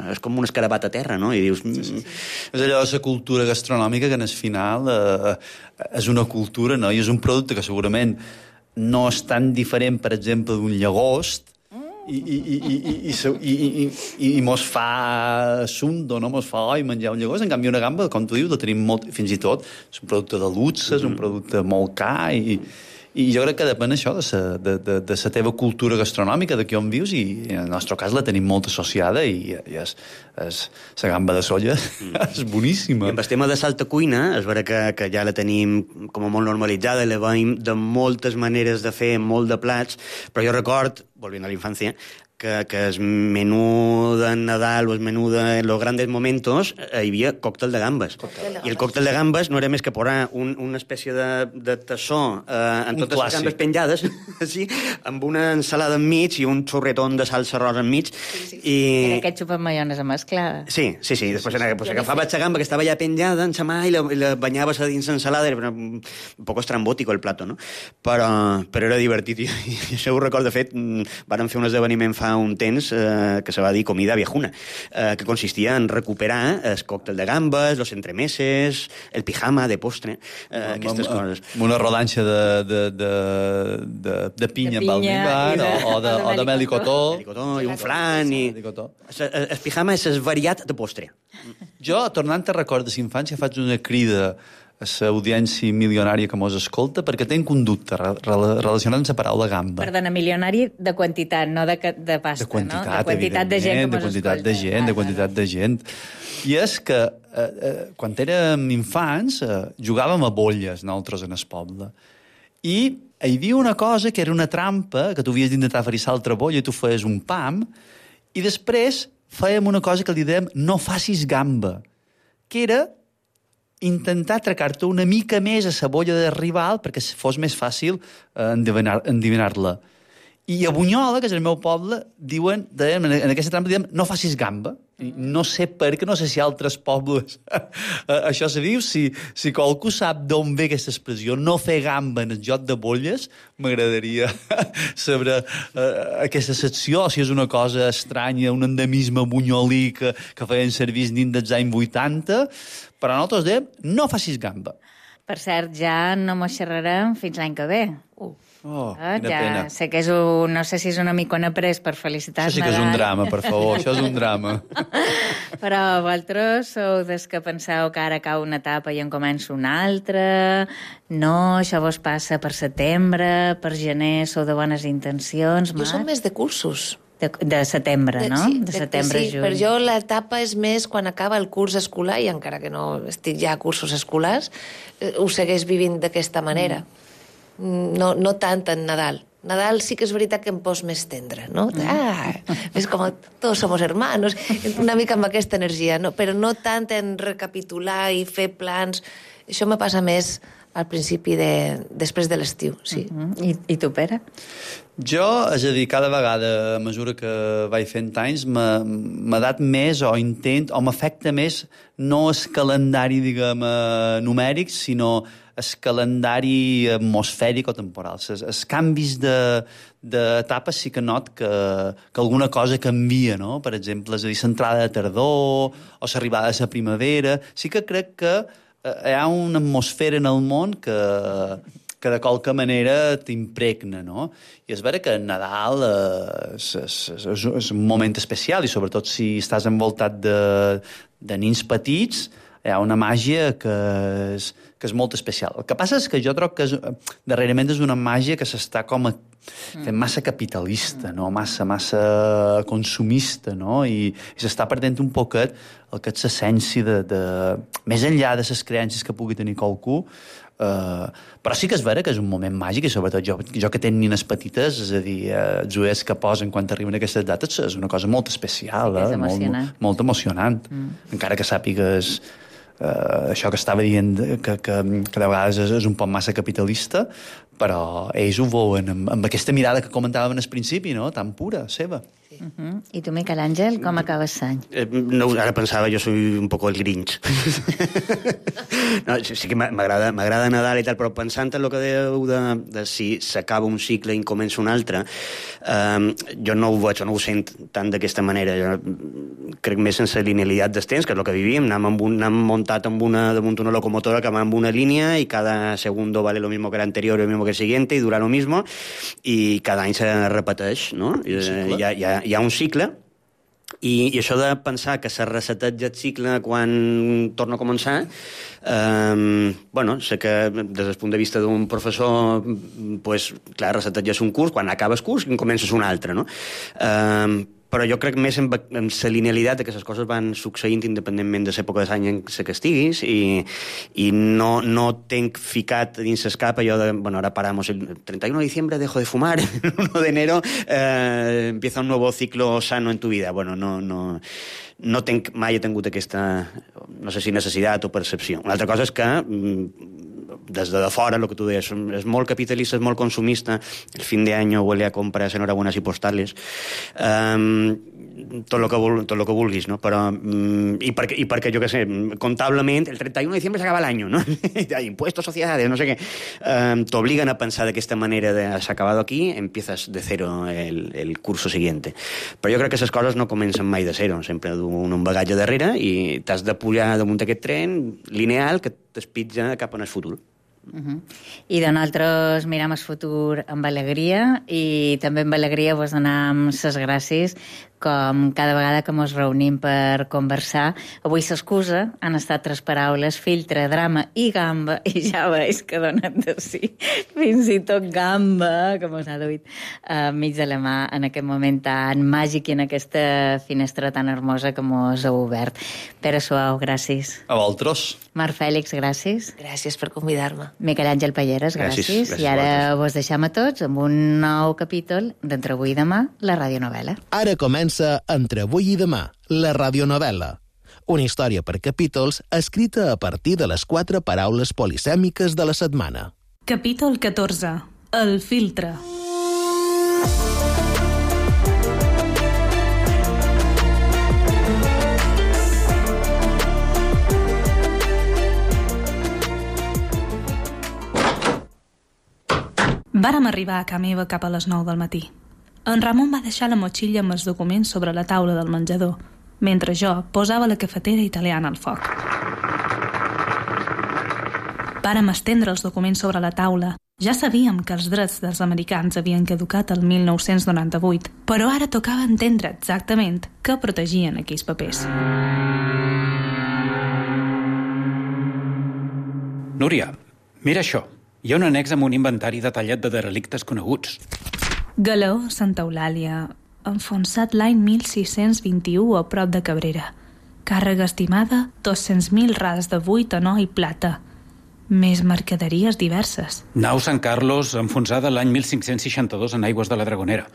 és com un escarabat a terra, no? I dius... És allò de la cultura gastronòmica que en el final és una cultura, no? I és un producte que segurament no és tan diferent, per exemple, d'un llagost i mos fa sundo, no? Mos fa menjar un llagost. En canvi, una gamba, com tu dius, la tenim molt... Fins i tot és un producte de luxe, és un producte molt car i jo crec que depèn això de la teva cultura gastronòmica, de on vius, i en el nostre cas la tenim molt associada i és la gamba de solla és boníssima. I amb el tema de l'alta cuina, és vera que ja la tenim com a molt normalitzada, la veiem de moltes maneres de fer, molt de plats, però jo record, volvint a la infància, que el menú de Nadal o el menú de los grandes momentos hi havia còctel de gambes. I el còctel de gambes no era més que posar una espècie de tassó amb totes les gambes penjades, sí, amb una ensalada enmig i un xorretón de salsa rosa enmig. Era ketchup amb maionesa mesclada. Sí. Després agafaves la gamba que estava ja penjada en la mà i la banyaves a dins l'ensalada. Era un poc estrambòtic el plato, no? Però era divertit. I això ho record, de fet, vàrem fer un esdeveniment fa un temps que se va dir comida viejuna, que consistia en recuperar el còctel de gambes, los entremeses, el pijama de postre, aquestes coses. Una rodanxa de pinya amb almíbar o de mel i cotó. I un flan. El pijama és el variat de postre. Jo, tornant a records de l'infància, faig una crida a l'audiència milionària que mos escolta, perquè tenc un dubte relacionat amb la paraula gamba. Perdona, milionari de quantitat, no de pasta, de quantitat, no? De quantitat de gent que mos escolta. De quantitat de gent. I és que quan érem infants jugàvem a bolles, nosaltres, en el poble. I hi havia una cosa que era una trampa, que tu havies d'intentar ferissar l'altra bolla i tu feies un pam, i després fèiem una cosa que li dèiem no facis gamba, que era intentar atracar-te una mica més a la bolla del rival perquè fos més fàcil endivinar-la. I a Bunyola, que és el meu poble, en aquesta trampa diem no facis gamba. I no sé per què, no sé si altres pobles això se diu, si qualcú sap d'on ve aquesta expressió, no fer gamba en el joc de bolles, m'agradaria saber aquesta secció, si és una cosa estranya, un endemisme bunyolí que feien servir dins dels anys 80, però nosaltres dèiem no facis gamba. Per cert, ja no mos xerrarem fins l'any que ve. Oh, quina pena. Sé que és no sé si és una micona pres per felicitar Això sí que és un drama, per favor, això és un drama. Però vosaltres sou des que penseu que ara cau una etapa i en comença una altra. No, això vos passa per setembre, per gener, sou de bones intencions. Jo som més de cursos. De setembre, no? Sí, de setembre, sí, juny. per jo l'etapa és més quan acaba el curs escolar, i encara que no estic ja a cursos escolars, ho segueix vivint d'aquesta manera. No tant en Nadal. Nadal sí que és veritat que em pos més tendre, no? És com tots somos hermanos, una mica amb aquesta energia, no? Però no tant en recapitular i fer plans. Això me passa més al principi després de l'estiu, sí. I tu, Pere? Jo, és a dir, cada vegada, a mesura que vaig fent anys, m'ha dat més o m'afecta més no el calendari, diguem, numèric, sinó el calendari atmosfèric o temporal. Els canvis d'etapes sí que not que alguna cosa canvia, no? Per exemple, és a dir, l'entrada de tardor o l'arribada de la primavera. Sí que crec que hi ha una atmosfera en el món que de qualque manera t'impregna, no? I és vera que Nadal és un moment especial, i sobretot si estàs envoltat de nins petits, hi ha una màgia que és molt especial. El que passa és que jo trobo que darrerament és una màgia que s'està com fent massa capitalista, no? Massa consumista, no? I s'està perdent un poquet el que és l'essència més enllà de les creences que pugui tenir qualcú. Però sí que és vera que és un moment màgic, i sobretot jo que tenc nines petites, és a dir, els ulls que posen quan arriben aquestes dates és una cosa molt especial, és emocionant. Molt emocionant. Encara que sàpigues això que estava dient que de vegades és un poc massa capitalista, però ells ho veuen amb aquesta mirada que comentàvem al principi, no? Tan pura, seva. I tu, Miquel Àngel, com acabes l'any? No, ara pensava, jo soy un poco el Grinch. No, sí que m'agrada Nadal i tal, però pensant en el que dèieu de si s'acaba un cicle i comença un altre, jo no ho veig, no ho sent tant d'aquesta manera. Jo crec més en la linealitat dels temps, que és el que vivim. Anem muntat damunt una locomotora que va amb una línia i cada segundo vale lo mismo que l'anterior, lo mismo que el siguiente, i durant lo mismo, i cada any se repeteix, no? Hi ha un cicle, i això de pensar que se reseteja el cicle quan torna a començar, sé que des del punt de vista d'un professor, pues, clar, reseteges un curs, quan acabes curs i comences un altre, no? Però jo crec més en la linealitat de que les coses van succeint independentment de l'època de l'any en què estiguis, i no tenc ficat dins el cap allò de, ahora paramos el 31 de diciembre, dejo de fumar, el 1 de enero empieza un nuevo ciclo sano en tu vida. No tenc, mai he tingut aquesta, no sé si necessitat o percepció. Una altra cosa és que des de fora, el que tu deies, és molt capitalista, és molt consumista, el fin de año huele a compras enhorabuenas y postales, tot lo que vulguis, no? Però, i perquè, jo què sé, comptablement, el 31 de diciembre s'acaba l'any, no? Impuestos, sociedades, no sé què. T'obliguen a pensar d'aquesta manera de s'ha acabat aquí, empiezas de cero el curso siguiente. Però jo crec que les coses no comencen mai de zero, sempre d'un bagatge darrere, i t'has de pujar damunt aquest tren lineal que t'espitja cap en el futur. I de nosaltres miram el futur amb alegria, i també amb alegria vos donem les gràcies, com cada vegada que ens reunim per conversar. Avui l'excusa han estat 3 paraules: filtre, drama i gamba, i ja veus que donen de sí. Fins i tot gamba, que ens ha duit mig de la mà en aquest moment tan màgic i en aquesta finestra tan hermosa que ens heu obert. Pere Suau, gràcies. A vosaltres. Marc Fèlix, gràcies. Gràcies per convidar-me. Miquel Àngel Palleres, gràcies. I ara vos deixem a tots amb un nou capítol d'Entre avui i demà, la radionovel·la. Ara comença Entre avui i demà, la radionovel·la. Una història per capítols escrita a partir de les 4 paraules polisèmiques de la setmana. Capítol 14. El filtre. Vàrem arribar a casa meva cap a les 9 del matí. En Ramon va deixar la motxilla amb els documents sobre la taula del menjador, mentre jo posava la cafetera italiana al foc. Vàrem estendre els documents sobre la taula Ja sabíem que els drets dels americans havien caducat el 1998, però ara tocava entendre exactament què protegien aquells papers. Núria, mira això. Hi ha un annex amb un inventari detallat de derelictes coneguts. Galeó Santa Eulàlia, enfonsat l'any 1621 a prop de Cabrera. Càrrega estimada 200.000 rals de buit, or i plata. Més mercaderies diverses. Nau Sant Carlos, enfonsada l'any 1562 en aigües de la Dragonera.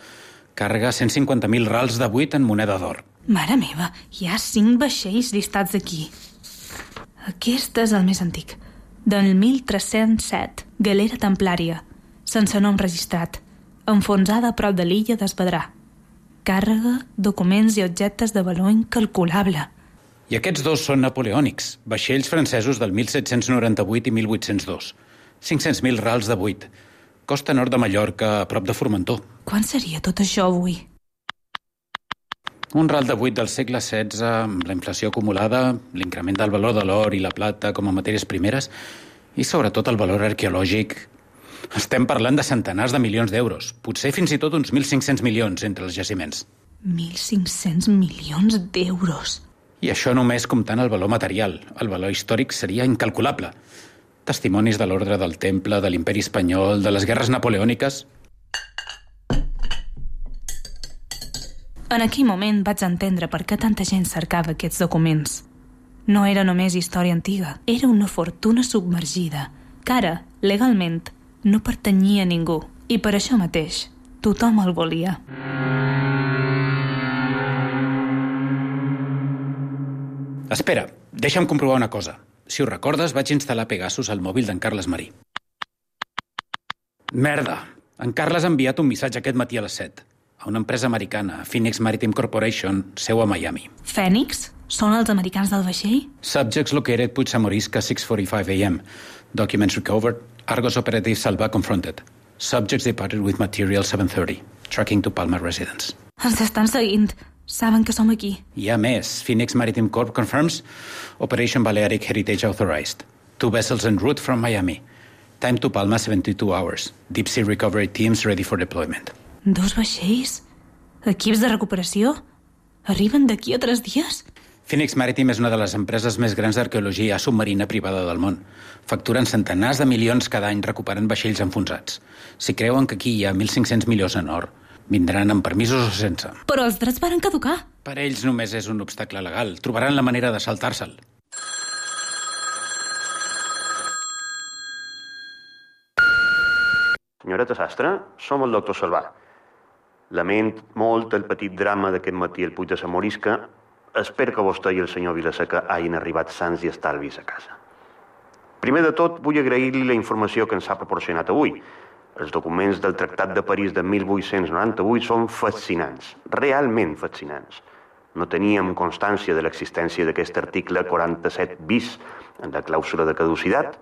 Càrrega 150.000 rals de buit en moneda d'or. Mare meva, hi ha 5 vaixells llistats aquí. Aquest és el més antic. Del 1307, galera templària, sense nom registrat, enfonsada a prop de l'illa d'Espadrà. Càrrega, documents i objectes de valor incalculable. I aquests dos són napoleònics, vaixells francesos del 1798 i 1802. 500.000 rals de buit. Costa nord de Mallorca, a prop de Formentor. Quan seria tot això avui? Un ral de buit del segle XVI, amb la inflació acumulada, l'increment del valor de l'or i la plata com a matèries primeres i, sobretot, el valor arqueològic. Estem parlant de centenars de milions d'euros, potser fins i tot uns 1.500 milions entre els jaciments. 1.500 milions d'euros. I això només comptant el valor material. El valor històric seria incalculable. Testimonis de l'ordre del Temple, de l'imperi espanyol, de les guerres napoleòniques. En aquell moment vaig entendre per què tanta gent cercava aquests documents. No era només història antiga, era una fortuna submergida, que ara, legalment, no pertanyia a ningú. I per això mateix, tothom el volia. Espera, deixa'm comprovar una cosa. Si ho recordes, vaig instal·lar Pegasus al mòbil d'en Carles Marí. Merda! En Carles ha enviat un missatge aquest matí a les 7 a una empresa americana, Phoenix Maritime Corporation, seu a Miami. Phoenix? Són els americans del vaixell? Subjects located Puig Samorisca 6:45 a.m. Documents recovered. Argos operative Salva confronted. Subjects departed with material 7:30. Tracking to Palma residence. Ens estan seguint. Saben que som aquí. Hi ha més. Phoenix Maritime Corp confirms Operation Balearic Heritage authorized. 2 vessels en route from Miami. Time to Palma 72 hours. Deep sea recovery teams ready for deployment. 2 vaixells? Equips de recuperació? Arriben d'aquí a 3 dies? Phoenix Maritime és una de les empreses més grans d'arqueologia submarina privada del món. Facturen centenars de milions cada any recuperant vaixells enfonsats. Si creuen que aquí hi ha 1.500 milions en or, vindran amb permisos o sense. Però els drets varen caducar. Per ells només és un obstacle legal. Trobaran la manera de saltar-se'l. Senyoreta Sastre, som el doctor Salvà. Lament molt el petit drama d'aquest matí al Puig de Samorisca. Espero que vostè i el senyor Vilaseca hagin arribat sants i estalvis a casa. Primer de tot, vull agrair-li la informació que ens ha proporcionat avui. Els documents del Tractat de París de 1898 són fascinants, realment fascinants. No teníem constància de l'existència d'aquest article 47 bis en la clàusula de caducitat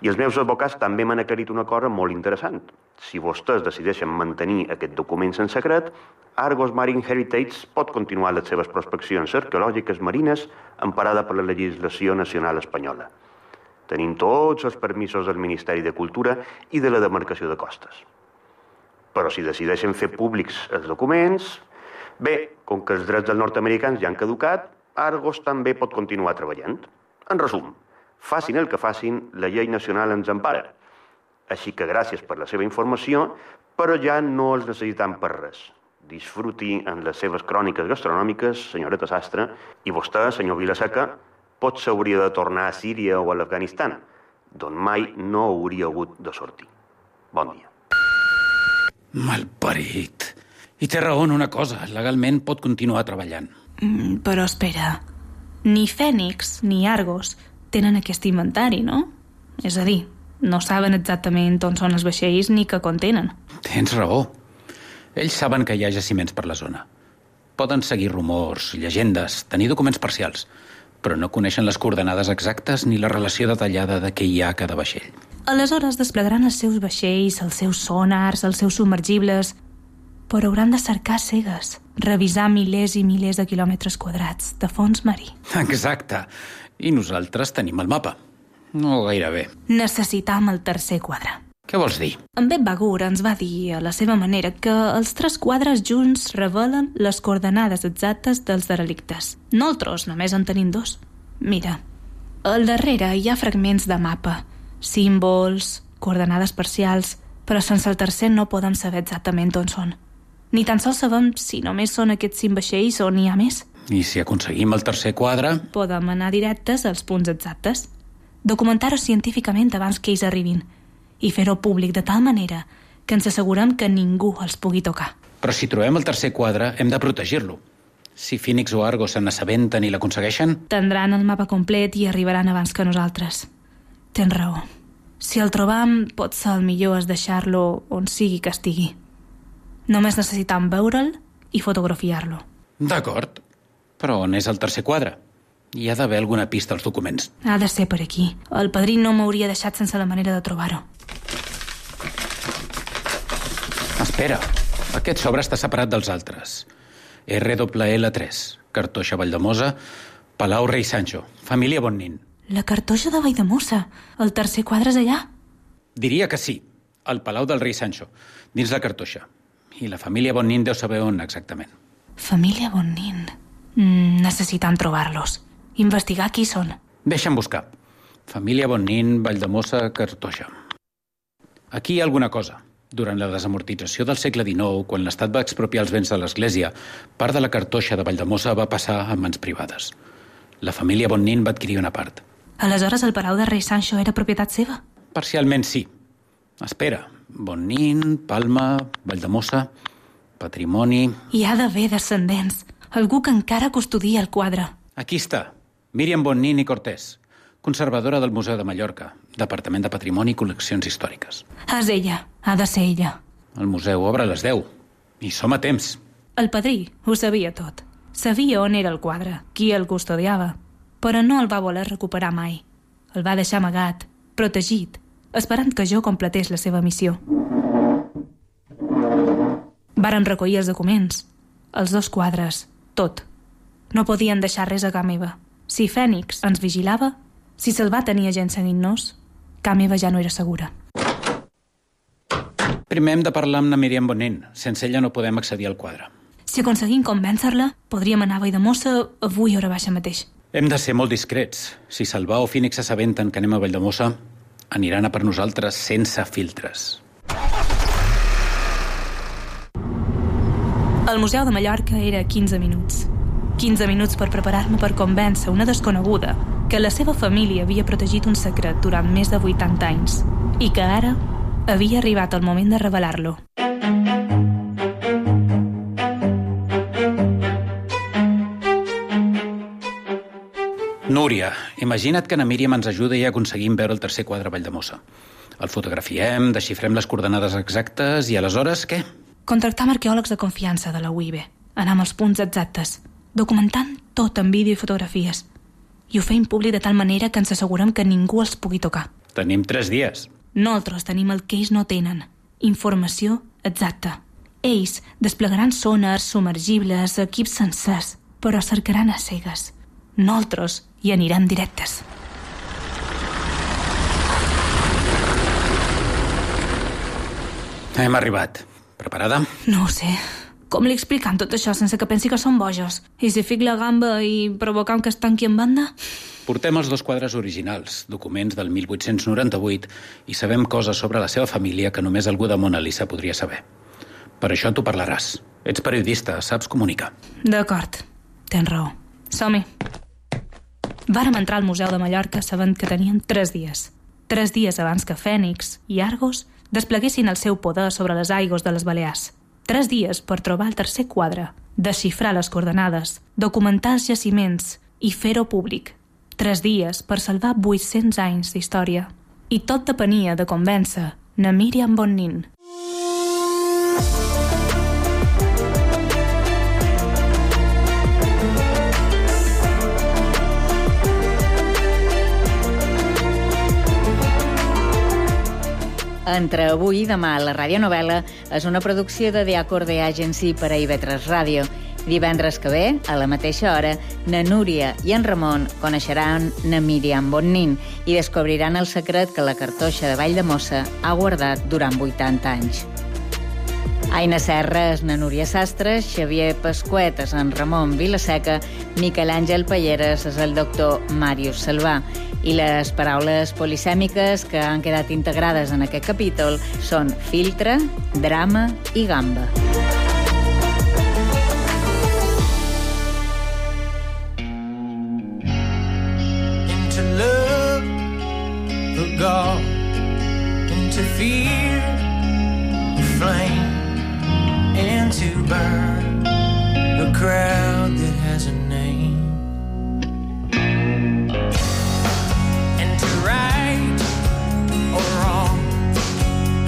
i els meus advocats també m'han aclarit una cosa molt interessant. Si vostès decideixen mantenir aquest document en secret, Argos Marine Heritage pot continuar les seves prospeccions arqueològiques marines emparada per la legislació nacional espanyola. Tenim tots els permisos del Ministeri de Cultura i de la demarcació de costes. Però si decideixen fer públics els documents, bé, com que els drets dels nord-americans ja han caducat, Argos també pot continuar treballant. En resum, facin el que facin, la llei nacional ens empara. Així que gràcies per la seva informació, però ja no els necessitam per res. Disfruti en les seves cròniques gastronòmiques, senyoreta Sastre, i vostè, senyor Vilaseca, potser hauria de tornar a Síria o a l'Afganistan, d'on mai no hauria hagut de sortir. Bon dia. Malparit. I té raó en una cosa, legalment pot continuar treballant. Però espera, ni Phoenix ni Argos tenen aquest inventari, no? És a dir, no saben exactament on són els vaixells ni què contenen. Tens raó. Ells saben que hi ha jaciments per la zona. Poden seguir rumors, llegendes, tenir documents parcials, però no coneixen les coordenades exactes ni la relació detallada de què hi ha a cada vaixell. Aleshores desplegaran els seus vaixells, els seus sonars, els seus submergibles, però hauran de cercar cegues, revisar milers i milers de quilòmetres quadrats de fons marí. Exacte. I nosaltres tenim el mapa. No gairebé. Necessitam el tercer quadre. Què vols dir? En Bep Bagur ens va dir, a la seva manera, que els 3 quadres junts revelen les coordenades exactes dels derelictes. Nosaltres només en tenim 2. Mira, al darrere hi ha fragments de mapa, símbols, coordenades parcials, però sense el tercer no podem saber exactament on són. Ni tan sols sabem si només són aquests 5 vaixells o n'hi ha més. I si aconseguim el tercer quadre? Podem anar directes als punts exactes, documentar-ho científicament abans que ells arribin i fer-ho públic de tal manera que ens assegurem que ningú els pugui tocar. Però si trobem el tercer quadre, hem de protegir-lo. Si Phoenix o Argo se n'assabenten i l'aconsegueixen... Tindran el mapa complet i arribaran abans que nosaltres. Tens raó. Si el trobam, potser el millor és deixar-lo on sigui que estigui. Només necessitam veure'l i fotografiar-lo. D'acord. Però on és el tercer quadre? Hi ha d'haver alguna pista als documents. Ha de ser per aquí. El padrí no m'hauria deixat sense la manera de trobar-ho. Espera, aquest sobre està separat dels altres. RWL3, Cartoixa Valldemossa, Palau Rei Sancho, família Bonnin. La Cartoixa de Valldemossa. El tercer quadre és allà? Diria que sí, al Palau del Rei Sancho, dins la Cartoixa. I la família Bonnin deu saber on exactament. Família Bonnin. Necessitem trobar-los. Investigar qui són. Deixa'm buscar. Família Bonnin, Valldemossa, Cartoixa. Aquí hi ha alguna cosa. Durant la desamortització del segle XIX, quan l'Estat va expropiar els béns de l'Església, part de la Cartoixa de Valldemossa va passar a mans privades. La família Bonnin va adquirir una part. Aleshores el Palau de Rei Sancho era propietat seva? Parcialment sí. Espera, Bonnin, Palma, Valldemossa, patrimoni... Hi ha d'haver descendents. Algú que encara custodia el quadre. Aquí està. Míriam Bonnin i Cortés, conservadora del Museu de Mallorca, Departament de Patrimoni i Col·leccions Històriques. És ella. Ha de ser ella. El museu obre a les 10. I som a temps. El padrí ho sabia tot. Sabia on era el quadre, qui el custodiava, però no el va voler recuperar mai. El va deixar amagat, protegit, esperant que jo completés la seva missió. Varen recollir els documents, els 2 quadres, tot. No podien deixar res a ca meva. Si Phoenix ens vigilava, si se'l va tenir gent seguint-nos, ca meva ja no era segura. Primer hem de parlar amb la Míriam Bonnin. Sense ella no podem accedir al quadre. Si aconseguim convèncer-la, podríem anar a Valldemossa avui hora baixa mateix. Hem de ser molt discrets. Si Salvà o Phoenix s'assabenten que anem a Valldemossa, aniran a per nosaltres sense filtres. El Museu de Mallorca era 15 minuts. 15 minuts per preparar-me per convèncer una desconeguda que la seva família havia protegit un secret durant més de 80 anys i que ara havia arribat el moment de revelar-lo. Núria, imagina't que na Míriam ens ajuda i aconseguim veure el tercer quadre a Valldemossa. El fotografiem, desxifrem les coordenades exactes i aleshores què? Contractam arqueòlegs de confiança de la UIB. Anar amb els punts exactes, documentant tot en vídeo i fotografies. I ho feim públic de tal manera que ens assegurem que ningú els pugui tocar. Tenim 3 dies. Nosaltres tenim el que ells no tenen. Informació exacta. Ells desplegaran sonars, submergibles, equips sencers, però cercaran a cegues. Nosaltres hi anirem directes. Hem arribat. Preparada? No ho sé. Com li explicam tot això sense que pensi que són bojos? I si fic la gamba i provocam que es tanqui en banda? Portem els 2 quadres originals, documents del 1898, i sabem coses sobre la seva família que només algú de Mona Lisa podria saber. Per això tu parlaràs. Ets periodista, saps comunicar. D'acord. Tens raó. Som-hi. Vàrem entrar al Museu de Mallorca sabent que teníem 3 dies. 3 dies abans que Phoenix i Argos despleguessin el seu poder sobre les aigües de les Balears. 3 dies per trobar el tercer quadre, desxifrar les coordenades, documentar els jaciments i fer-ho públic. 3 dies per salvar 800 anys d'història. I tot depenia de convèncer na Míriam Bonnin. Entre avui i demà a la radionovel·la és una producció de The Acorde Agency per a IB3 Ràdio. Divendres que ve, a la mateixa hora, na Núria i en Ramon coneixeran na Míriam Bonnin i descobriran el secret que la cartoixa de Valldemossa ha guardat durant 80 anys. Aina Serra és na Núria Sastre, Xavier Pasquet és en Ramon Vilaseca, Miquel Àngel Palleres és el doctor Màrius Salvà. I les paraules polisèmiques que han quedat integrades en aquest capítol són filtre, drama i gamba. Into love, the God, into fear, the flame, and to burn the crowd that has a name, and to right or wrong,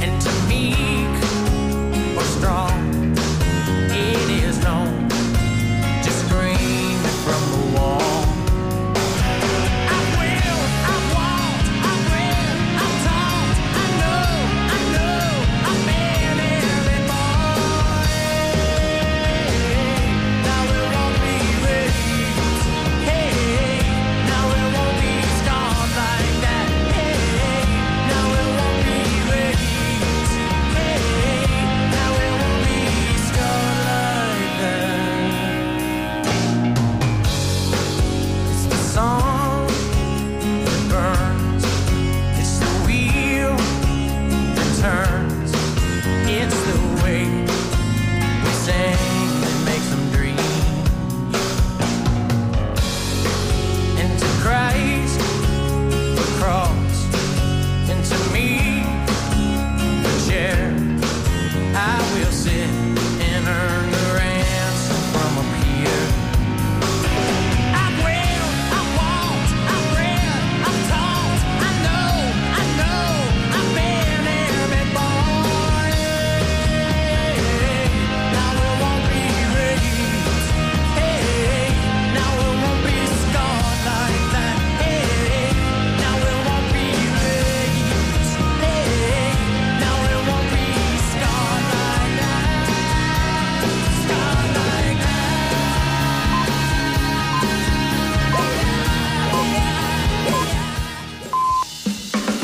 and to meek or strong, it is known to scream from the wall. Song